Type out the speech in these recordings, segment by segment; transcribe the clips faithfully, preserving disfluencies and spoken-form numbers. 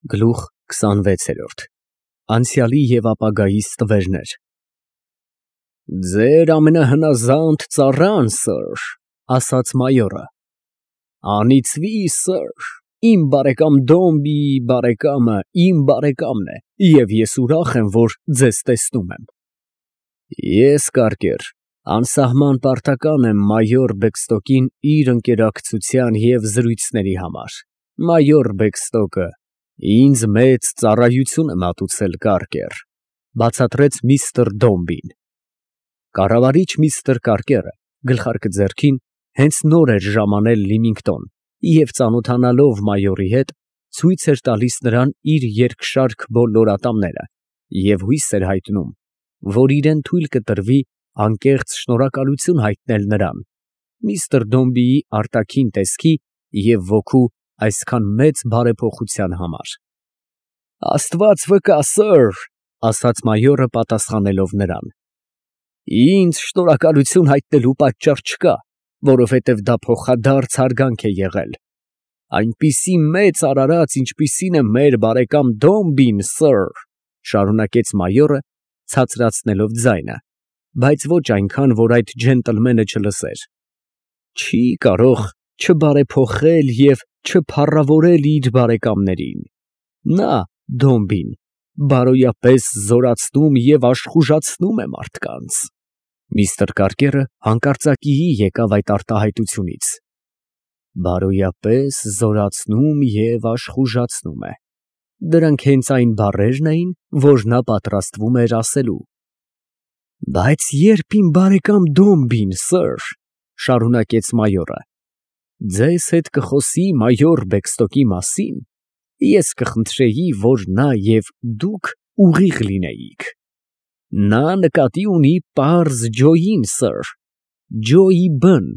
Գլուխ քսանվեցերորդ Անցյալի և ապագայի ստվերներ Ձեր ամենահնազանդ ծառան, սըր, ասաց մայորը, անիծվի, սըր, իմ բարեկամ Դոմբիի բարեկամը իմ բարեկամն է, և ես ուրախ եմ, որ ձեզ տեսնում եմ։ Ես, կարկեր, անսահման պարտական եմ մայոր Բեքստոկին իր ընկերակցության և զրույցների համար, մայոր Բեքստոկը ինձ մեծ ծառայություն է մատուցել, կարկեր, բացատրեց միստր Դոմբին։ Կառավարիչ միստր Կարկերը, գլխարկը ձեռքին, հենց նոր էր ժամանել Լիմինգտոն և ծանոթանալով մայորի հետ, ցույց էր տալիս նրան իր երկշարք բոլոր ատամները և հույս էր հայտնում, որ իրան թույլ կտրվի անկեղծ շնորհակալություն հայտնել նրան, միստր Դոմբիի արտաքին տեսքի և ոգու այսքան մեծ բարեփոխության համար։ Աստված վկա, սըր, ասաց մայորը պատասխանելով նրան, ինձ շնորհակալություն հայտնելու պատճառ չկա, որովհետև դա փոխադարձ հարգանք է եղել, այնպիսի մեծ արարած, ինչպիսին է մեր բարեկամ Դոմբին, սըր, շարունակեց մայորը, ցածրացնելով ձայնը, բայց ոչ այնքան, որ այդ ջենտլմենը չլսեր, չի կարող չբարեփոխել և չփառավորել իր բարեկամներին, նա, Դոմբին, բարոյապես զորացնում և աշխուժացնում է մարդկանց։ Միստր Կարկերը հանկարծակիի եկավ այդ արտահայտությունից. բարոյապես զորացնում և աշխուժացնում է, դրանք հենց այն բառերն էին, որ նա պատրաստվում էր ասելու։ Բայց երբ իմ բարեկամ Դոմբին, սըր, շարունակեց մայորը, ձեզ հետ կխոսի մայոր Բեքստոկի մասին, ես կխնդրեի, որ նա և դուք ուղիղ լինեիք։ Նա նկատի ունի պարզ Ջոյին, սըր, Ջոյի բն,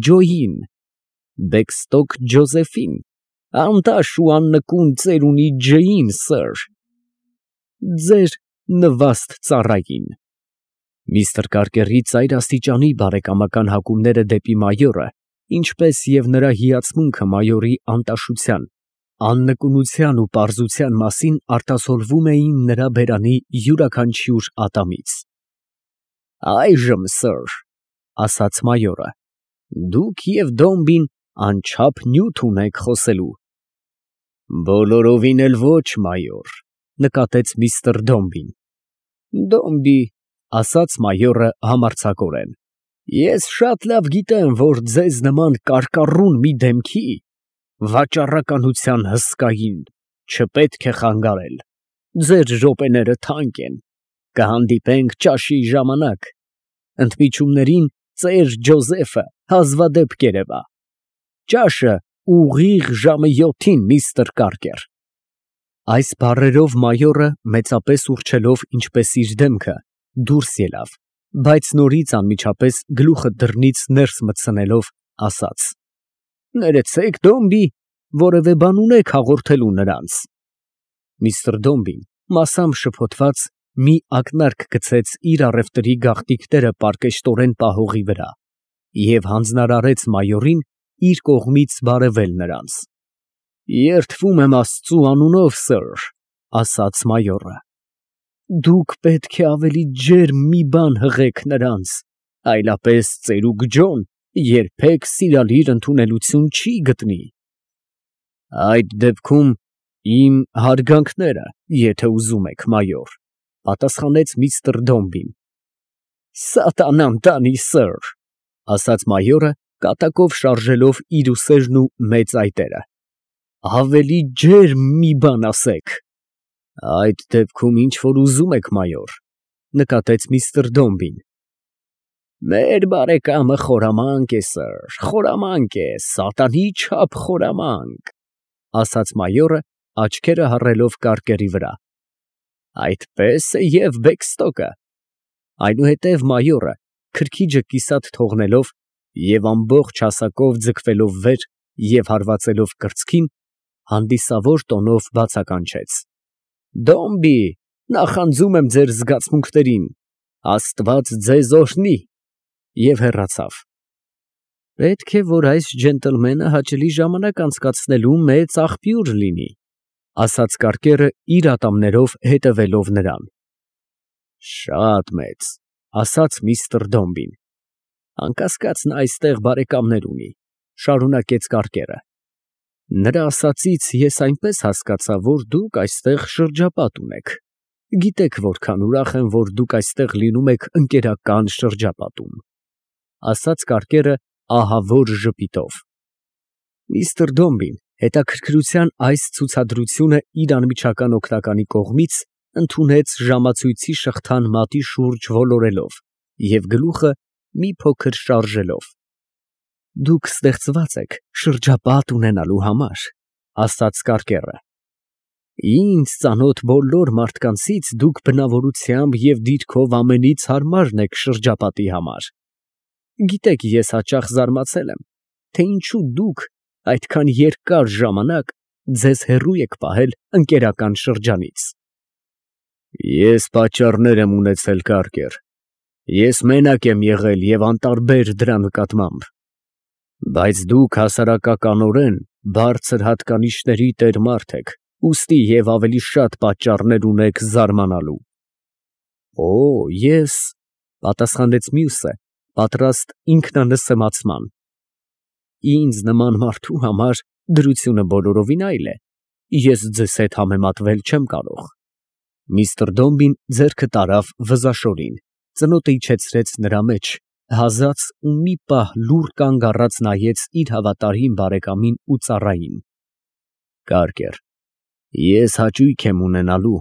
Ջոյին, Բեքստոկ Ջոզեֆին, անտաշ ու աննկուն ծերունի Ջեյին, սըր, ձեր նվաստ ծառային։ Միստր Կարկերի ծայրաստիճանի բարեկամական հակումները դեպի մայորը, ինչպես և նրա հիացմունքը մայորի անտաշության, աննկունության ու պարզության մասին արտասովորվում էին նրա բերանի յուրաքանչյուր ատամից։ Այժմ, սըր, ասաց մայորը, դուք և Դոմբին անչափ նյութ ունեք խոսելու։ Բոլորովին էլ ոչ, մայոր, նկատեց միստր Դոմբին։ Դոմբի, ասաց մայորը համարձակորեն, ես շատ լավ գիտեմ, որ ձեզ նման կարկառուն մի դեմքի վաճառականության հսկային չպետք է խանգարել, ձեր րոպեները թանկ են, կհանդիպենք ճաշի ժամանակ, ընդմիջումներին ծեր Ջոզեֆը հազվադեպ կերևա, ճաշը ուղիղ ժամը յոթին, միստր Կարկեր։ Այս բառերով մայորը մեծապես ուռչելով ինչպես իր դեմքը, դուրս ելավ, բայց նորից անմիջապես գլուխը դռնից ներս մտցնելով, ասաց. Ներեցեք, Դոմբի, որևէ բան ունեք հաղորդելու նրանց։ Միստր Դոմբին, մասամբ շփոթված, մի ակնարկ գցեց իր առևտրի գաղտնիքները պարկեշտորեն պահողի վրա և հանձնարարեց մայորին իր կողմից բարևել նրանց։ Երդվում եմ Աստծու անունով, սըր, ասաց մայորը, դուք պետք է ավելի ջերմ մի բան հղեք նրանց, այլապես ծերուկ Ջոն երբեք սիրալիր ընդունելություն չի գտնի։ Այդ դեպքում իմ հարգանքները, եթե ուզում եք, մայոր, պատասխանեց միստր Դոմբին։ Սատանան տանի, սըր, ասաց մայորը, կատակով շարժելով իր ուսերն ու մեծ այտերը, ավելի ջերմ մի բան ասեք։ Այդ դեպքում ինչ որ ուզում եք, մայոր, նկատեց միստր Դոմբին։ Մեր բարեկամը խորամանկ է, սըր, խորամանկ է, սատանի չափ խորամանկ, ասաց մայորը, աչքերը հառելով Կարկերի վրա։ Այդպես է և Բեքստոկը։ Այնուհետև մայորը, քրքիջը կիսատ թողնելով և ամբողջ հասակով ձգվելով վեր և հարվածելով կրծքին, հանդիսավոր տոնով բացականչեց. Դոմբի, նախանձում եմ ձեր զգացմունքներին, Աստված ձեզ օրհնի, և հեռացավ։ Պետք է, որ այս ջենտլմենը հաճելի ժամանակ անցկացնելու մեծ աղբյուր լինի, ասաց կարկերը իր ատամներով հետևելով նրան։ Շատ մեծ, ասաց միստր Դոմբին։ Անկասկած նա այստեղ բարեկամներ ունի, շարունակեց կարկերը։ Նրա ասածից ես այնպես հասկացա, որ դուք այստեղ շրջապատ ունեք։ Գիտեք որքան ուրախ եմ, որ դուք այստեղ լինում եք ընկերական շրջապատում, ասաց կարկերը ահավոր ժպիտով։ Միստր Դոմբին հետաքրքրության այս ցուցադրությունը իր անմիջական օգնականի կողմից ընդունեց ժամացույցի շղթան մատի շուրջ ոլորելով և գլուխը մի փոքր շարժելով։ Դուք ստեղծված եք շրջապատ ունենալու համար, ասաց կարկերը։ Ինձ ծանոթ բոլոր մարդկանցից դուք բնավորությամբ և դիրքով ամենից հարմարն եք շրջապատի համար։ Գիտեք, ես հաճախ զարմացել եմ, թե ինչու դուք այդքան երկար ժամանակ ձեզ հեռու եք պահել ընկերական շրջանից։ Ես պատճառներ եմ ունեցել, կարկեր։ Ես մենակ եմ եղել և անտարբեր դրա նկատմամբ։ Բայց դուք հասարակականորեն բարձր հատկանիշների տեր մարդ եք, ուստի և ավելի շատ պատճառներ ունեք զարմանալու։ Օ, ես, պատասխանեց մյուսը, պատրաստ ինքնանսեմացման։ Ինձ նման մարդու համար դրությունը բոլորովին այլ է, ես ձեզ հետ համեմատվել չեմ կարող։ Միստր Դոմբին ձեռքը տարավ վզաշորին, ծնոտը իջեցրեց նրա մեջ, հազաց ու մի պահ լուռ կանգ առած նայեց իր հավատարիմ բարեկամին ու ծառային։ Կարկեր, ես հաճույք եմ ունենալու,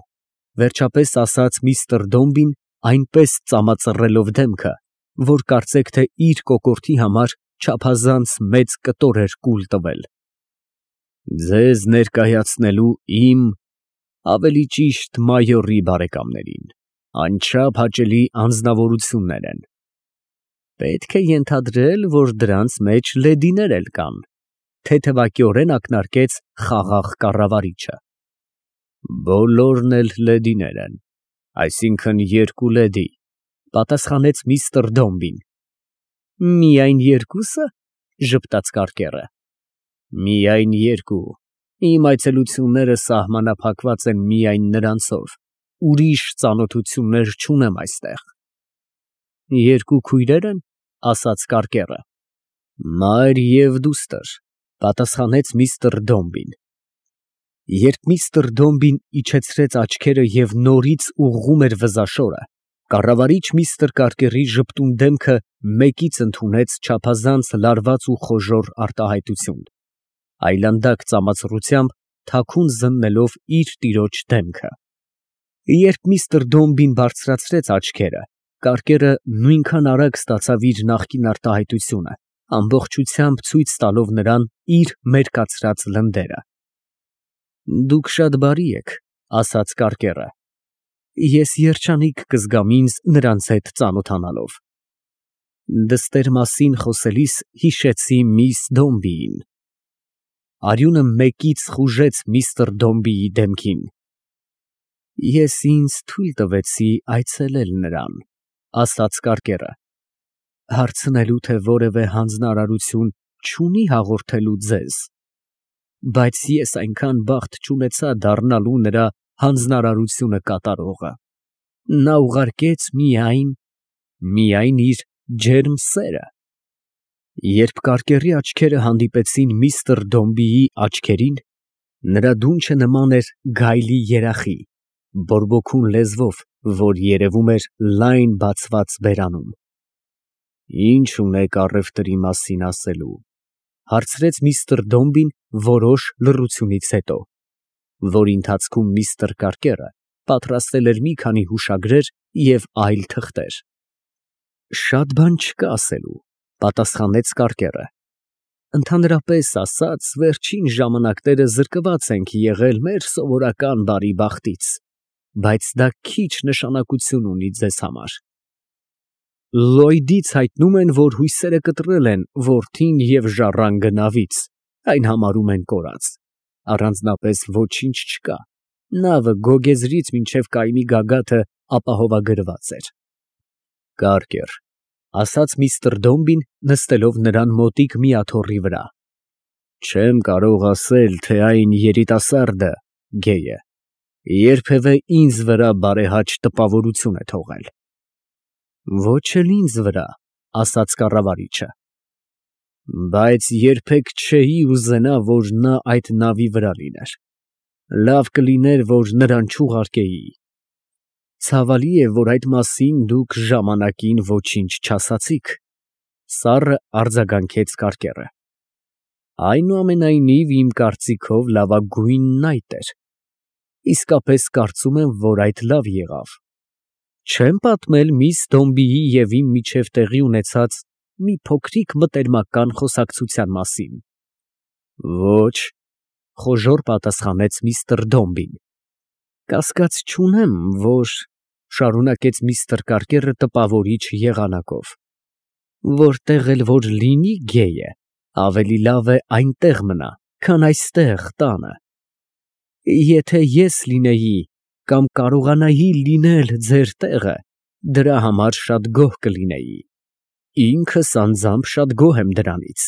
վերջապես ասաց միստր Դոմբին, այնպես ծամածռելով դեմքը, որ կարծեք թե իր կոկորդի համար չափազանց մեծ կտոր էր կուլ տվել։ Ձեզ ներկայացնելու իմ, ավելի ճիշտ մայորի բարեկամներին, անչափ հաճելի անձնավորություններ են։ Պետք է ենթադրել, որ դրանց մեջ լեդիներ էլ կան, թեթևակիորեն ակնարկեց խաղաղ կառավարիչը։ Բոլորն էլ լեդիներ են, այսինքն երկու լեդի, պատասխանեց միստր Դոմբին։ Միայն երկուսը, ժպտաց կարկերը։ Միայն երկու, իմ այցելությունները սահմանափակված են միայն նրանցով, ուրիշ ծանոթություններ չունեմ այստեղ։ Երկու քույրե՞ր են, ասաց կարկերը։ Մայր և դուստր, պատասխանեց միստր Դոմբին։ Երբ միստր Դոմբին իջեցրեց աչքերը և նորից ուղղում էր վզաշորը, կառավարիչ միստր Կարկերի ժպտուն դեմքը մեկից ընդունեց չափազանց լարված ու խոժոռ արտահայտություն, այլանդակ ծամածռությամբ թաքուն զննելով իր տիրոջ դեմքը։ Երբ միստր Դոմբին բարձրացրեց աչքերը, կարկերը նույնքան արագ ստացավ իր նախկին արտահայտությունը, ամբողջությամբ ցույց տալով նրան իր մերկացրած լնդերը։ Դուք շատ բարի եք, ասաց կարկերը։ Ես երջանիկ կզգամ ինձ նրանց հետ ծանոթանալով։ Դստեր մասին խոսելիս հիշեցի միս Դոմբիին։ Արյունը մեկից խուժեց միստր Դոմբիի դեմքին։ Ես ինձ թույլ տվեցի այցելել նրան, ասաց կարկերը, հարցնելու, թե որևէ հանձնարարություն չունի հաղորդելու ձեզ, բայց ես այնքան բախտ չունեցա դառնալու նրա հանձնարարությունը կատարողը։ Նա ուղարկեց միայն, միայն իր ջերմ սերը։ Երբ կարկերի աչքերը հանդիպեցին միստր Դոմբիի աչքերին, նրա դունչը նման էր գայլի երախի, բորբոքուն լեզվով, որ երևում էր լայն բացված բերանում։ Ինչ ունեք առևտրի մասին ասելու, հարցրեց միստր Դոմբին որոշ լռությունից հետո, որի ընթացքում միստր Կարկերը պատրաստել էր մի քանի հուշագրեր և այլ թղթեր։ Շատ բան չկա ասելու, պատասխանեց կարկերը։ Ընդհանրապես ասած, վերջին ժամանակները զրկված ենք եղել մեր սովորական բարի բախտից, բայց դա քիչ նշանակություն ունի ձեզ համար։ Լոյդից հայտնում են, որ հույսերը կտրել են որդին և ժառանգը նավից, այն համարում են կորած, առանձնապես ոչինչ չկա, նավը գոգեզրից մինչև կայմի գագաթը ապահովագրված էր։ Կարկեր, ասաց միստր Դոմբին, նստելով նրան մոտիկ մի աթոռի վրա, չեմ կարող ասել, թե այն երիտասարդը գեյը, երբևէ ինձ վրա բարեհաճ տպավորություն է թողել։ Ոչ էլ ինձ վրա, ասաց կառավարիչը, բայց երբեք չէի ուզենա, որ նա այդ նավի վրա լիներ, լավ կլիներ, որ նրան չուղարկեի։ Ցավալի է, որ այդ մասին դուք ժամանակին ոչինչ չասացիք, սառը արձագանքեց կարկերը։ Այնուամենայնիվ, իմ կարծիքով լավագույնն այդ էր։ Իսկապես կարծում եմ, որ այդ լավ եղավ։ Չեմ պատմել միս Դոմբիի և իմ միջև տեղի ունեցած մի փոքրիկ մտերմական խոսակցության մասին։ Ոչ, խոժոռ պատասխանեց միստր Դոմբին։ Կասկած չունեմ, որ, շարունակեց միստր Կարկերը տպավորիչ եղանակով, որտեղ էլ որ լինի գեյը, ավելի լավ է այնտեղ մնա, քան այստեղ տանը։ Եթե ես լինեի կամ կարողանայի լինել ձեր տեղը, դրա համար շատ գոհ կլինեի։ Ինքս անձամբ շատ գոհ եմ դրանից։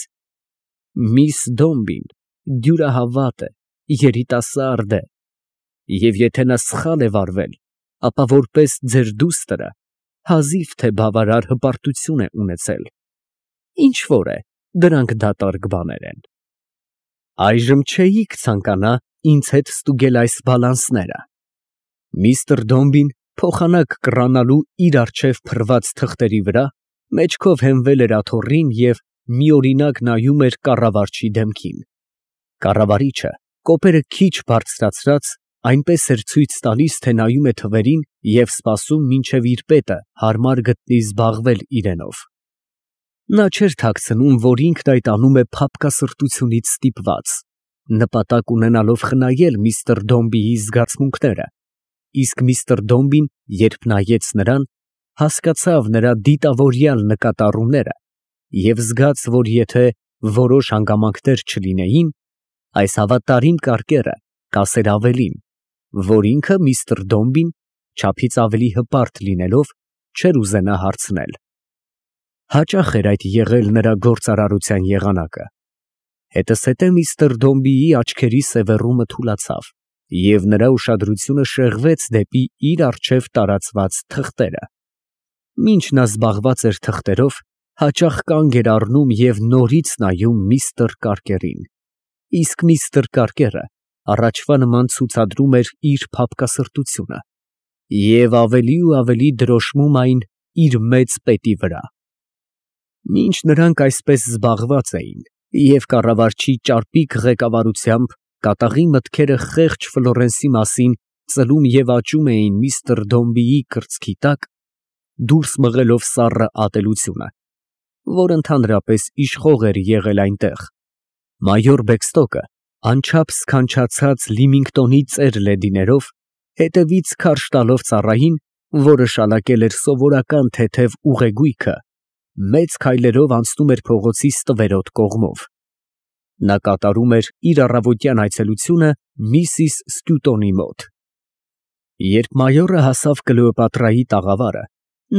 Միս Դոմբին դյուրահավատ է, երիտասարդ է, և եթե նա սխալ է վարվել, ապա որպես ձեր դուստրը հազիվ թե բավարար հպարտություն է ունեցել։ Ինչ֊որ է, դրանք դատարկ բաներ են։ Այժմ չէիք ցանկանա ինձ հետ ստուգել այս բալանսները։ Միստր Դոմբին փոխանակ կռանալու իր առջև փռված թղթերի վրա մեջքով հենվել էր աթոռին և միօրինակ նայում էր կառավարչի դեմքին։ Կառավարիչը, կոպերը քիչ բարձրացրած, այնպես էր ցույց տալիս, թե նայում է թվերին և սպասում, մինչև իր պետը հարմար գտնի զբաղվել իրենով։ Նա չէր թաքցնում, որ ինքն այդ անում է փափկասրտությունից ստիպված, նպատակ ունենալով խնայել միստր Դոմբիի զգացմունքները, իսկ միստր Դոմբին, երբ նայեց նրան, հասկացավ նրա դիտավորյալ նկատառումները և զգաց, որ եթե որոշ հանգամանքներ չլինեին, այս հավատարիմ կարկերը կասեր ավելին, որ ինքը միստր Դոմբին, չափից ավելի հպարտ լինելով, չէր ուզենա հարցնել։ Հաճախ էր այդ եղել նրա գործարարության եղանակը։ Հետզհետե միստր Դոմբիի աչքերի սևեռումը թուլացավ, և նրա ուշադրությունը շեղվեց դեպի իր առջև տարածված թղթերը։ Մինչ նա զբաղված էր թղթերով, հաճախ կանգ էր առնում և նորից նայում միստր Կարկերին, իսկ միստր Կարկերը առաջվա նման ցուցադրում էր իր փափկասրտությունը և ավելի ու ավելի դրոշմում այն իր մեծ պետի վրա։ Մինչ նրանք այսպես զբաղված էին և կառավարչի ճարպիկ ղեկավարությամբ կատաղի մտքերը խեղճ Ֆլորենսի մասին ծլում և աճում էին միստր Դոմբիի կրծքի տակ, դուրս մղելով սառը ատելությունը, որ ընդհանրապես իշխող էր եղել այնտեղ, մայոր Բեքստոկը, անչափ սքանչացած Լիմինգտոնի ծեր լեդիներով, հետևից քարշ տալով ծառային, որը շալակել էր սովորական թեթև ուղեգույքը, մեծ քայլերով անցնում էր փողոցի ստվերոտ կողմով։ Նա կատարում էր իր առավոտյան այցելությունը միսիս Սկյուտոնի մոտ։ Երբ մայորը հասավ Կլեոպատրայի տաղավարը,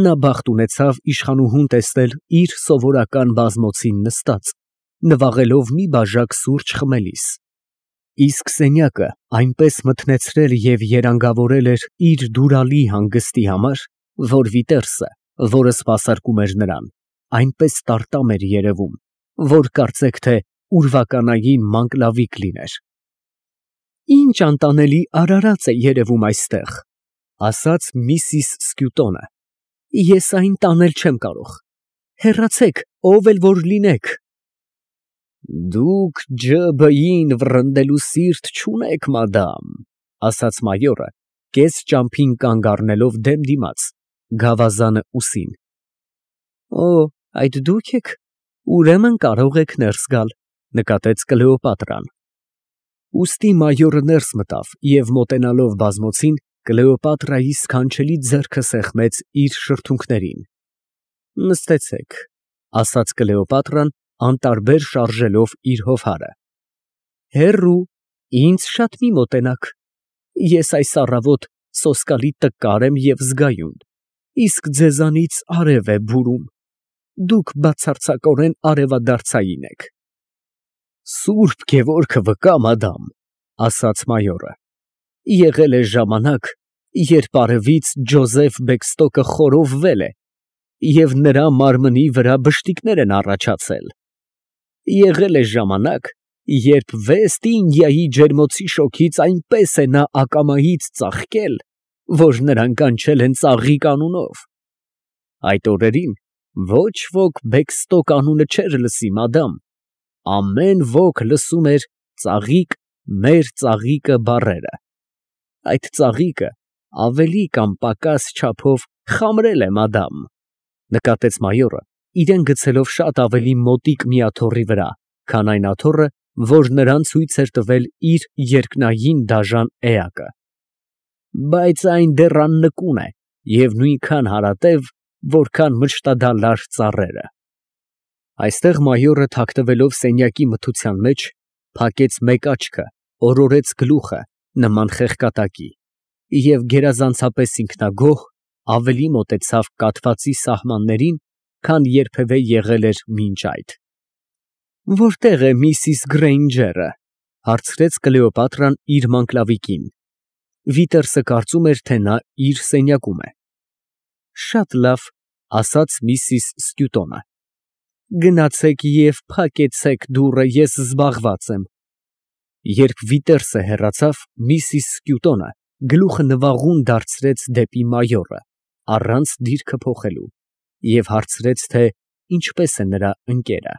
նա բախտ ունեցավ իշխանուհուն տեսնել իր սովորական բազմոցին նստած, նվաղելով մի բաժակ սուրճ խմելիս, իսկ սենյակը այնպես մթնեցրել և երանգավորել էր իր դուրալի հանգստի համար, որ Վիտերսը, որը սպասարկում էր նրան, այնպես տարտամ էր երևում, որ կարծեք թե ուրվականային մանկլավիկ լիներ։ Ինչ անտանելի արարած է երևում այստեղ, ասաց միսիս Սկյուտոնը, ես այն տանել չեմ կարող, հեռացեք, ով էլ որ լինեք։ Դուք ջը֊բըին վռնդելու սիրտ չունեք, մադամ, ասաց մայորը, կես ճամփին կանգ առնելով դեմ դիմաց, գավազանը ուսին։ Օ, այդ դուք եք, ուրեմն կարող եք ներս գալ, նկատեց Կլեոպատրան։ Ուստի մայորը ներս մտավ և մոտենալով բազմոցին, Կլեոպատրայի սքանչելի ձեռքը սեղմեց իր շրթունքներին։ Նստեցեք, ասաց Կլեոպատրան, անտարբեր շարժելով իր հովհարը։ Հեռու, ինձ շատ մի մոտենաք, ես այս առավոտ սոսկալի տկար եմ և զգայուն, իսկ ձեզանից արև է բուրում, դուք բացարձակորեն արևադարձային եք։ Սուրբ Գևորգը վկա, մադամ, ասաց մայորը, Եղել է ժամանակ, երբ արևից Ջոզեֆ Բեքստոկը խորովվել է, և նրա մարմնի վրա բշտիկներ են առաջացել։ Եղել է ժամանակ, երբ Վեստ Ինդիայի ջերմոցի շոգից այնպես է նա ակամայից ծաղկել, որ նրան կանչել են Ծաղիկ անունով։ Այդ օրերին ոչ ոք Բեքստոկ անունը չէր լսի, մադամ, ամեն ոք լսում էր ծաղիկ, մեր ծաղիկը բառերը։ Այդ ծաղիկը ավելի կամ պակաս չափով խամրել է, մադամ, նկատեց մայորը, իրան գցելով շատ ավելի մոտիկ մի աթոռի վրա, քան այն աթոռը, որ նրան ցույց էր տվել իր երկնային դաժան էակը, բայց այն դեռ աննկուն է և նույնքան հարատև, որքան մճտադալար ծառերը։ Այստեղ մայորը թաքնվելով սենյակի մթության մեջ, փակեց մեկ աչքը, օրորեց գլուխը, նման խեղկատակի, և գերազանցապես ինքնագոհ ավելի մոտեցավ կաթվածի սահմաններին, քան երբևէ եղել էր մինչ այդ։ «Որտե՞ղ է միսիս Գրեյնջերը» ֊ հարցրեց Կլեոպատրան իր մանկլավիկին։ Վիտերսը կարծում էր, թե նա իր սենյակում է։ «Շատ լավ, ֊ ասաց միսիս Ստյուտոնը, ֊ գնացեք և փակեցեք դուռը, ես զբաղված եմ»։ Երբ Վիտերսը հեռացավ, միսիս Ստյուտոնը գլուխը նվաղուն դարձրեց դեպի մայորը, առանց դիրքը փոխելու, և հարցրեց, թե ինչպես է նրա ընկերը։